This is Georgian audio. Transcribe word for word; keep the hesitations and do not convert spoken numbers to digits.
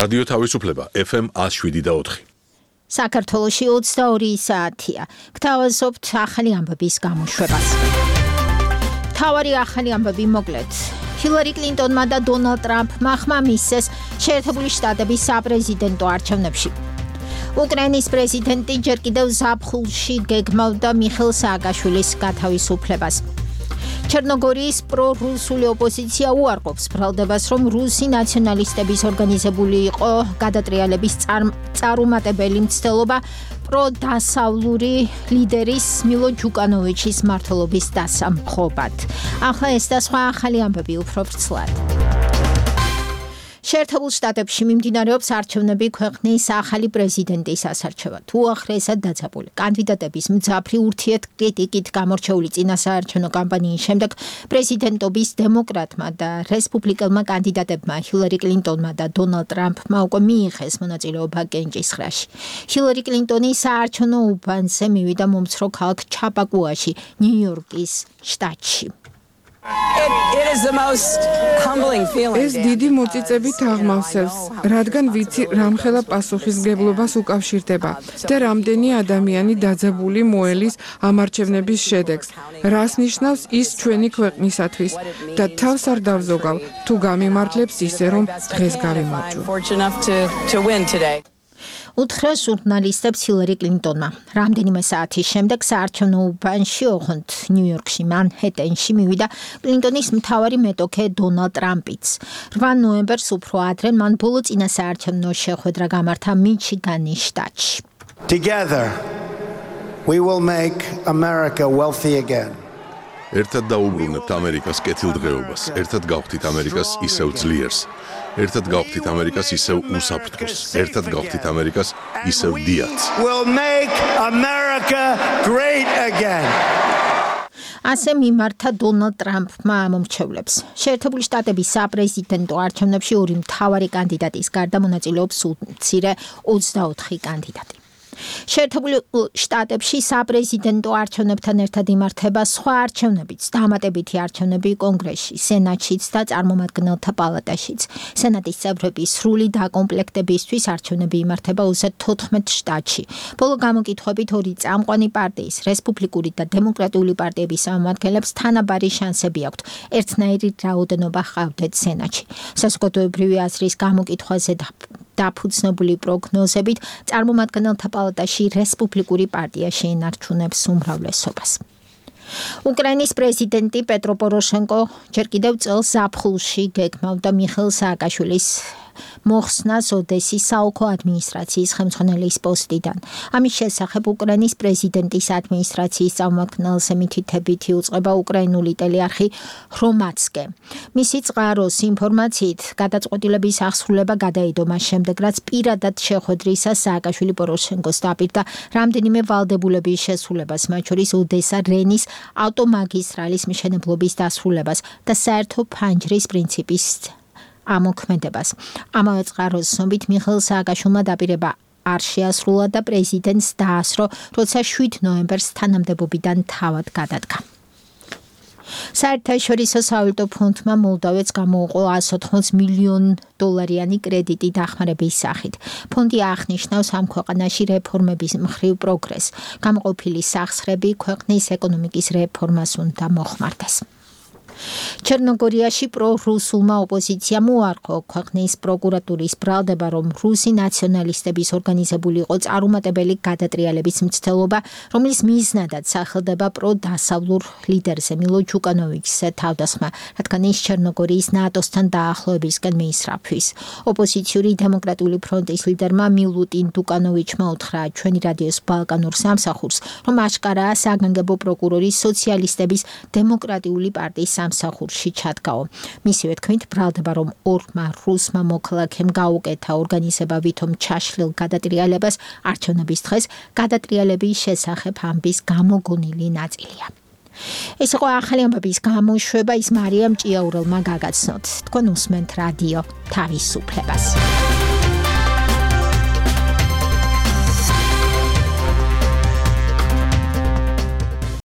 რადიო თავისუფლება ეფ ემ ათს შვიდი და ოთხი. საქართველოში ოცდაორი საათია. გთავაზობთ ახალი ამბების გამოშვებას. მთავარი ახალი ამბები მოკლედ. ჰილარი კლინტონმა და დონალდ ტრამპმა ხმა მისცეს შეერთებული შტატების საპრეზიდენტო არჩევნებში. უკრაინის პრეზიდენტი ჯერ კიდევ ზაფხულში გეგმავდა მიხეილ სააკაშვილის გათავისუფლებას. ჩერნოგორიის პრორუსული ოპოზიცია უარყოფს ბრალდებას, რომ რუსი ნაციონალისტების ორგანიზებული იყო გადატრიალების წარუმატებელი მცდელობა პროდასავლური ლიდერის მილო ჯუკანოვიჩის მმართველობის დასამხობად. ახლა ეს და სხვა ახალი ამბები უფრო ვრცლად. შეერთებულ შტატებში მიმდინარეობს არჩევნები ქვეყნის ახალი პრეზიდენტის ასარჩევად. უახლესად დაძაბული კანდიდატების მძაფრი ურთიერთკრიტიკით გამორჩეული წინასაარჩევნო კამპანიის შემდეგ პრეზიდენტობის დემოკრატმა და რესპუბლიკელმა კანდიდატებმა ჰილარი კლინტონმა და დონალდ ტრამპმა უკვე მიიღეს მონაწილეობა კენჭისყრაში. ჰილარი კლინტონი საარჩევნო უბანზე მივიდა მომცრო ქალაქ ჩაპაკუაში, ნიუ-იორკის შტატში. ეს დიდი მოწიწებით აღმავსებს, რადგან ვიცი რამხელა პასუხისმგებლობას უკავშირდება და რამდენი ადამიანი დაძაბული მოელის ამ არჩევნების შედეგს, რას ნიშნავს ის ჩვენი ქვეყნისათვის და თავს არ დავზოგავ თუ გამიმართლებს ისე რომ დღეს გავიმარჯვო. უთხრა ჟურნალისტებს ჰილარი კლინტონმა. რამდენიმე საათის შემდეგ საარჩევნო უბანში, ოღონდ ნიუ-იორკში, მანჰეტენში მივიდა კლინტონის მთავარი მეტოქე დონალდ ტრამპიც. რვა ნოემბერს უფრო ადრე მან ბოლო წინასაარჩევნო შეხვედრა გამართა მიჩიგანის შტატში. Together we will make America wealthy again. ერთად დაუბრუნებთ ამერიკას კეთილდღეობას, ერთად გავხდით ამერიკას ისევ ძლიერს, ერთად გავხდით ამერიკას ისევ უსაფრთხოს, ერთად გავხდით ამერიკას ისევ დიაცს. We'll make America great again. ასე მიმართა დონალდ ტრამპმა ამომრჩევლებს. შეერთებული შტატების საპრეზიდენტო არჩევნებში ორი მთავარი კანდიდატის გარდა მონაწილეობს უმცირე ოცდაოთხი კანდიდატი. შეერთებულ შტატებში საპრეზიდენტო არჩევნებთან ერთად იმართება სხვა არჩევნებიც, დამატებითი არჩევნები კონგრესში, სენატშიც და წარმომადგენელთა პალატაშიც. სენატის წევრების სრული დაკომპლექტებისთვის არჩევნები იმართება ოცდაათი შტატში. ბოლო გამოკითხვებით ორი წამყვანი პარტიის, რესპუბლიკური და დემოკრატიული პარტიების წარმომადგენლებს თანაბარი შანსები აქვთ. ერთნაირი რაოდენობა ჰყავდათ სენატში. საზოგადოებრივი აზრის გამოკითხვაზე დაფუძნებული პროგნოზებით წარმომადგენელთა პალატაში რესპუბლიკური პარტია შეინარჩუნებს უმრავლესობას. უკრაინის პრეზიდენტი პეტრო პოროშენკო ჯერ კიდევ წელს ზაფხულში გეგმავდა მიხეილ სააკაშვილის მოხსნას ოდესის საოლქო ადმინისტრაციის ხელმძღვანელის პოსტიდან. ამის შესახებ უკრაინის პრეზიდენტის ადმინისტრაციის წარმომადგენელზე მითითებით იუწყება უკრაინული ტელეარხი ხრომატსკე. მისი წყაროს ინფორმაციით გადაწყვეტილების აღსრულება გადაიდო მას შემდეგ, რაც პირადად შეხვედრისას სააკაშვილი პოროშენკოს დაპირდა რამდენიმე ვალდებულების შესრულებას, მათ შორის ოდესა რენის ავტომაგისტრალის მშენებლობის დასრულებას და საერთო ფანჯრის პრინციპის ამოქმედებას. ამავე წყაროს ცნობით მიხეილ სააკაშვილმა დაპირება არ შეასრულა და პრეზიდენტს დაასრო, როცა შვიდ ნოემბერს თანამდებობიდან თავად გადადგა. საერთაშორისო სავალუტო ფონდმა მოლდოვეთს გამოუყო εκατს ოთხმოცდაოთხ მილიონ დოლარიანი კრედიტი დახმარების სახით. ფონდი აღნიშნავს ამ ქვეყანაში რეფორმების მხრივ პროგრესს. გამოყოფილი სახსრები ქვეყნის ეკონომიკის რეფორმას უნდა მოხმარდეს. ჩერნოგორიაში პრორუსულმა ოპოზიციამ უარყო ქვეყნის პროკურატურის ბრალდება, რომ რუსი ნაციონალისტების ორგანიზებული იყო წარუმატებელი გადატრიალების მცდელობა, რომლის მიზნადაც სახელდება პროდასავლურ ლიდერზე მილო ჯუკანოვიჩზე თავდასხმა, რადგან ის ჩერნოგორიის ნატოსთან დაახლოებისკენ მიისწრაფვის. ოპოზიციური დემოკრატიული ფრონტის ლიდერმა მილუტინ დუკანოვიჩმა უთხრა ჩვენი რადიოს ბალკანურ სამსახურს, რომ აშკარაა საგანგებო პროკურორის სოციალისტების დემოკრატიული პარტიის სამსახურში ჩადგაო. მისივე თქმით, ბრალდება, რომ ორმა რუსმა მოქალაქემ გაუკეთა ორგანიზება ვითომ ჩაშლილ გადატრიალებას არჩევნების დღეს გადატრიალების შესახებ ამბის გამოგონილი ნაწილია. ეს იყო ახალი ამბების გამოშვება, ის მარიამ ჭიაურელმა გაგაცნოთ. თქვენ უსმენთ რადიო თავისუფლებას.